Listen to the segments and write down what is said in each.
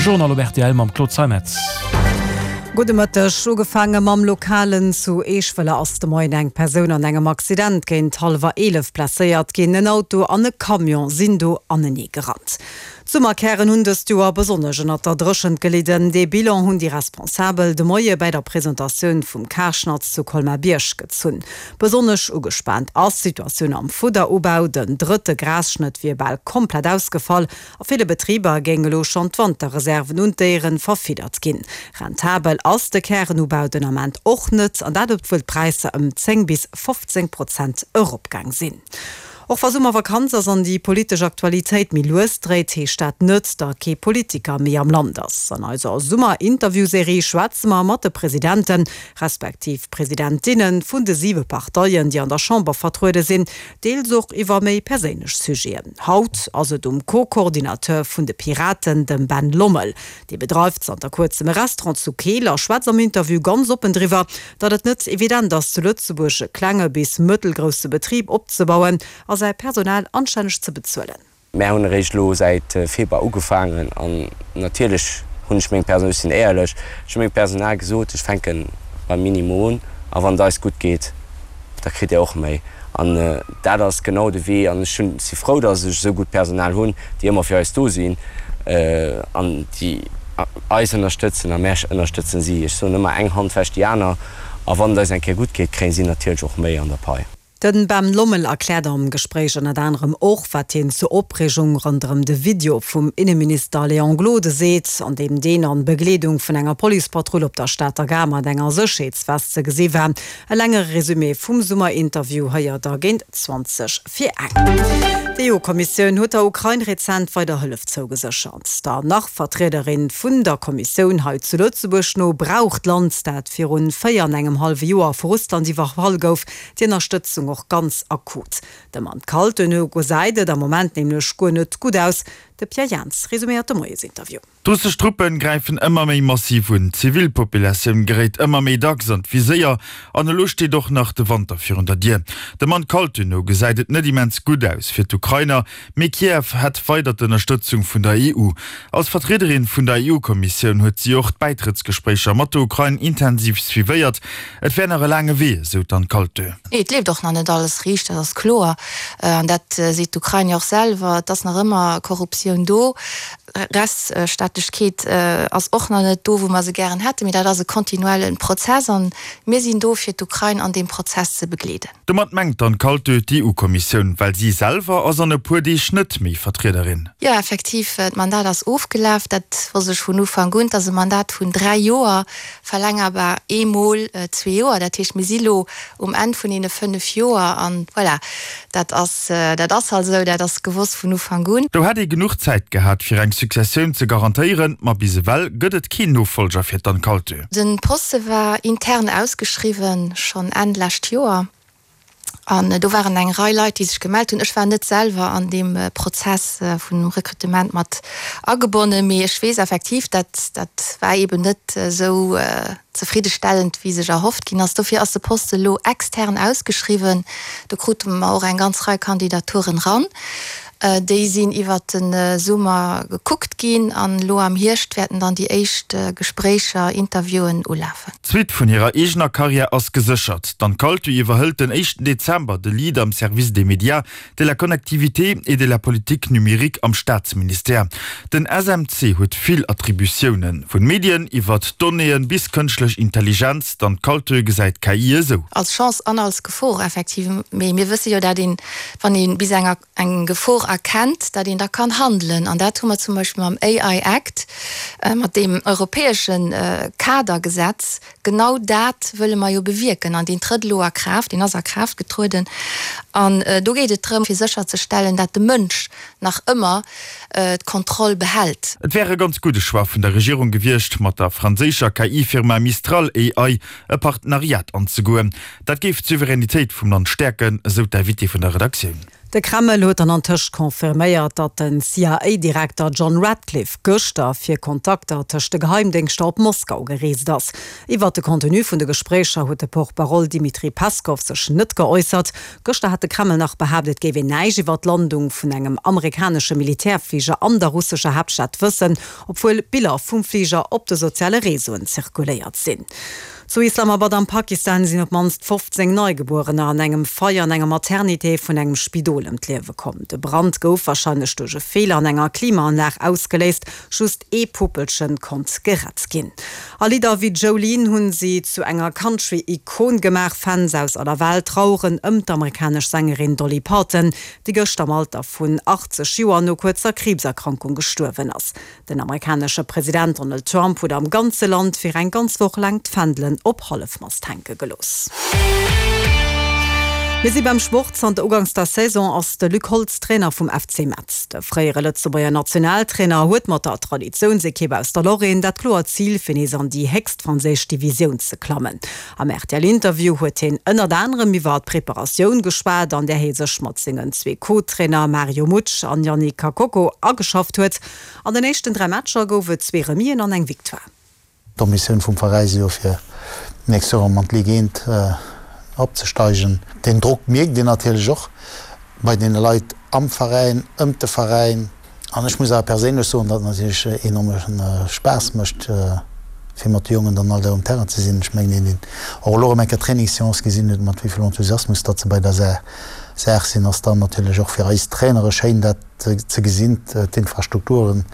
Journal op rtl mam Claude Zeimetz. Gudde Mëtteg. Ugefaange mam Lokalen. Zu Eeschwëller ass de Moien eng Persoun an engem Accident géint hallwer 11 blesséiert ginn. En Auto an e Camion sinn do anenee gerannt. D'Summerkären hunn dëst Joer besonnesch ënnert der Dréchent gelidden. Dee Bilan hunn déi Responsabel de Moie bäi der Presentatioun vum Karschnatz zu Colmar-Bierg gezunn. Besonnesch ugespaant ass d'Situatioun am Fudderubau. Den drëtte Grasschnëtt wier bal komplett ausgefall. A ville Betriber géing elo schonn d'Wanterreserven un d'Déieren verfiddert ginn. Rentabel ass de Kärenubau den Ament och net, an dat obwuel d'Präisser ëm 10 bis 15 Prozent eropgaang sinn. Och wa Summervakanz ass an déi politesch Aktualitéit méi lues dréit, heescht dat net, datt kee Politiker méi am Land ass. An eiser Summer-Interview-Serie schwätze mer mat de Presidenten, respektiv Presidentinne vun de siwe Parteien, déi an der Chamber vertruede sinn, deels och iwwer méi perséinlech Sujeten. Haut ass et um Co-Coordinateur vun de Piraten, dem Ben Lommel. Dee bedreift zanter kuerzem e Restaurant zu Keel a schwätzt am Interview ganz oppen driwwer, datt et net evident ass, zu Lëtzebuerg e klenge bis mëttelgrousse Betrib opzebauen a säi Personal anstänneg ze bezuelen. Mär hunn eréischt elo säit Februar ugefaangen an natierlech hunn ech mengem Personal, ech sinn éierlech, ech hu mengem Personal gesot, ech fänke beim Minimum un a wann et eis gutt geet, da kritt Dir och méi. An dat ass genau de Wee an ech hunn, si frou, datt ech esou gutt Personal hunn, déi ëmmer fir eis do sinn an déi eis ënnerstëtzen a mär ënnerstëtzen si. Ech soen ëmmer, eng Hand wäscht déi aner a wann et eis eng Kéier gutt geet, kréien si natierlech och méi an der Pai. Den Ben Lommel erkläert am Gespréich ënnert anerem och, wat hien zur Opreegung ronderëm de Video vum Inneminister Léon Gloden seet, an deem deen an Begleedung vun enger Policepatrull op der Stater Gare mat enger Sécherheetsvest ze gesi war. E längere Resumé vum Summerinterview héiert der géint 20 vir eng. D'EU-Kommissioun huet der Ukrain rezent weider Hëllef zougeséchert. Der nach-Vertriederin vun der Kommissioun hei zu Lëtzebuerg no brauch d'Land, dat virun 4 an engem hallwe Joer vu Russland iwwerfall gouf, déi Ënnerstëtzung och ganz akut. Dem Anne Kaltenö gesäit et am Moment nämlech guer net gutt aus. De Pierre Jans resuméiert de Moiesinterview. D'russesch Truppen gräifen ëmmer méi massiv un, d'Zivilpopulatioun geréit ëmmer méi dacks an d'Viséier an elo steet och nach de Wanter virun der Dier. Dem Anne Kaltenö no gesäit et net immens gutt aus fir d'Ukrainer, Mee Kiew hätt weider d'Ënnerstëtzung vun der EU. Als Vertriederin vun der EU-Kommissioun huet si och d'Bäitrëttsgespréicher mat der Ukrain intensiv suivéiert. Et wär nach e laange Wee, esou d'Anne Kaltö. Et leeft och nach net alles riicht, dat ass kloer. An dat seet d'Ukrain jo och selwer. Et ass nach ëmmer Korruptioun do. Rechtsstaatlechkeet ass och nach net do, wou mer se gären hätten. Mee dat ass e kontinuelle Prozess an mir sinn do, fir d'Ukrain an deem Prozess ze begleeden. Domat mengt d'Anne Kaltö d'EU-Kommissioun, well si selwer ass an e puer Deeg net méi Vertriederin. Jo, effektiv, d'Mandat ass ofgelaf. Dat wosst ech vun Ufank un. Et ass e Mandat vun 3 Joer, verlängerbar eemol zwee Joer. Dat heescht, mir si lo um Enn vun deene 5 Joer an voilà, dat ass, dat ass halt esou, dat ass gewosst vun Ufank un. Do hätt ee genuch Zäit gehat, fir eng Successioun ze garantéieren, ma bis ewell gëtt et keen Nofollger fir d'Anne Kaltö. Den Poste war intern ausgeschriwwen, schonn Enn lescht Joer, an do waren eng Rei Leit, déi sech gemellt hunn. Ech war net selwer an deem Prozess vun Rekrutement mat agebonnen, mee ech weess effektiv, dat dat war eeben net esou zefriddestellend, wéi sech erhofft ginn ass. Dofir ass de Poste elo extern ausgeschriwwen. Do krute mer och eng ganz Rei Kandidaturen ran. Déi sinn iwwert de Summer gekuckt ginn an elo am Hierscht wäerten dann déi éischt Gespréicher, Interviewen ulafen. D'Suite vun hirer eegener Karriär ass geséchert. D'Anne Kaltu iwwerhëlt den éischten Dezember de Lead am Service des médias, de la connectivité et de la politique numérique am Staatsministère. Den SMC huet vill Attributiounen, vun Medien iwwert Donnéeën bis kënschtlech Intelligenz. D'Anne Kaltö gesäit d'KI esou. Als Chance an als Gefor effektiv. Mee mir wësse jo, dat een, wann ee bis enger eng Gefor erkennt, datt een da kann handelen. An dat hu mer zum Beispill mam AI Act, mat deem europäesche Kadergesetz, genau dat wëlle mer jo bewierken. An deen trëtt elo a Kraaft, deen ass a Kraaft getrueden. An do geet et drëm, fir sécherzestellen, dat de Mënsch nach ëmmer d'Kontroll behält. Et wär e ganz gudde Choix vun der Regierung gewiescht, mat der franséischer KI-Firma Mistral AI e Partenariat anzegoen. Dat géif d'Souveränitéit vum Land stäerken, esou d'Invitée vun der Redaktioun. De Kreml huet dann antëscht confirméiert, datt den CIA-Direkter John Ratcliffe gëschter fir Kontakter tëscht de Geheimdéngschter op Moskau gereest ass. Iwwert de Contenu vun de Gespréicher huet de Porte-parole Dmitri Peskov sech net geäussert. Gëschter hat de Kreml nach behaapt, et géif een näischt iwwer d'Landung vun engem amerikanesche Militärfliger an der russescher Haaptstad wëssen, obwuel Biller vum Fliger op de soziale Reseauen zirkuléiert sinn. Zu Islamabad am Pakistan sinn op d'mannst 15 Neigebuerener an engem Feier an enger Maternité vun engem Spidol ëm d'Liewe komm. De Brand gouf warscheinlech duerch e Feeler an enger Klimaanlag ausgeléist. Just ee Puppelchen konnt gerett ginn. A Lidder wéi Jolene hunn si zu enger Country-Ikon gemaach. Fans aus aller Welt traueren ëm d'amerikanesch Sängerin Dolly Parton, déi gëschter am Alter vun 80 Joer no kuerzer Kriibserkrankung gestuerwen ass. Den amerikanesche President Donald Trump huet am ganze Land fir eng ganz Woch laang d'Fändelen op Hallefmast hänke gelooss. Mir si beim Sport. Zanter Uganks der Saison ass de Luc Holtz Trainer vum FC Metz. De fréiere Lëtzebuerger Nationaltrainer huet mat der Traditiounsekipp aus der Lorraine dat kloert Zil, fir nees an déi héchst franséisch Divisioun ze klammen. Am RTL-Interview huet hien ënnert anerem iwwer d'Preparatioun geschwat, an där hie sech mat sengen zwee Co-Trainer Mario Mutsch an Yannick Kakoko ageschafft huet. An den éischten 3 Matcher gouf et zwee Remisen an eng Victoire. D'Ambitioun vum Veräi si jo fir d'nächst Joer erëm an d'Ligue 1 opzesteigen. Deen Drock mierkt een natierlech och bei deene Leit am Veräin, ëmt de Veräin. An ech muss awer perséinlech soen, datt et natierlech enorme Spaass mécht, fir mat de Jongen dann all Dag um Terrain ze sinn. Ech mengen, een deen och elo erëm eng Kéier d'Trainingsseance gesinn huet, mat wéi vill Enthusiasmus datt se bei der Saach sinn, ass dann natierlech och fir eis Trainere schéin, dat ze gesinn. D'Infrastrukturen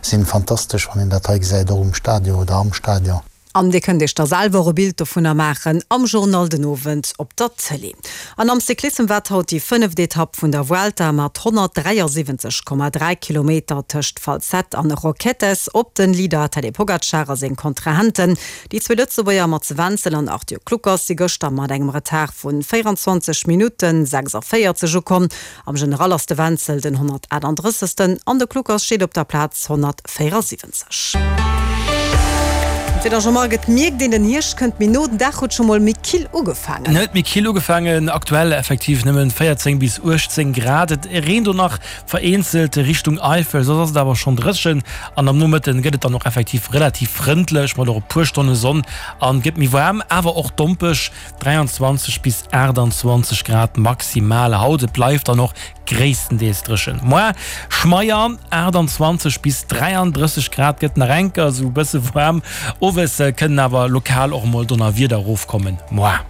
sinn fantastesch, wann een dat hei gesäit, och um Stadion oder am Stadion. An Dir kënnt Iech da selwer och e Bild dovunner maachen am Journal den Owend op der Tëlee. An am Cyclissem waart haut déi fënneft Etapp vun der Vuelta mat 173,3 Kilometer tëscht Falset an Roquetes op den Leader Tadej Pogacar a seng Kontrahenten. Déi zwee Lëtzebuerger Mats Wenzel an Arthur Kluckers si gëschter mat engem Retard vun 24 Minutten 46 ukomm. Am General ass de Wenzel den 138. An de Kluckers steet op der Plaz 174. D'Wieder Jean-Marc, et mierkt een, den Hierscht kënnt méi no, den Dag huet scho mol méi kill ugefaangen. En huet méi kill ugefaangen, aktuell effektiv nëmmen 14 bis 18 Grad. Et reent och nach vereenzelt Richtung Eifel, soss ass et awer schonn dréchen an am Nomëtten gëtt et dann och effektiv relativ frëndlech mat och e puer Stonne Sonn an gëtt méi waarm, awer och dompeg. 23 bis 28 Grad maximal haut, et bleift dann och gréisstendeels dréchen. Moar schmeier, 28 bis 33 Grad, gëtt nach enker esou e bësse waarm. Owes kënnen awer lokal och emol Donnerwieder erofkommen. Moar.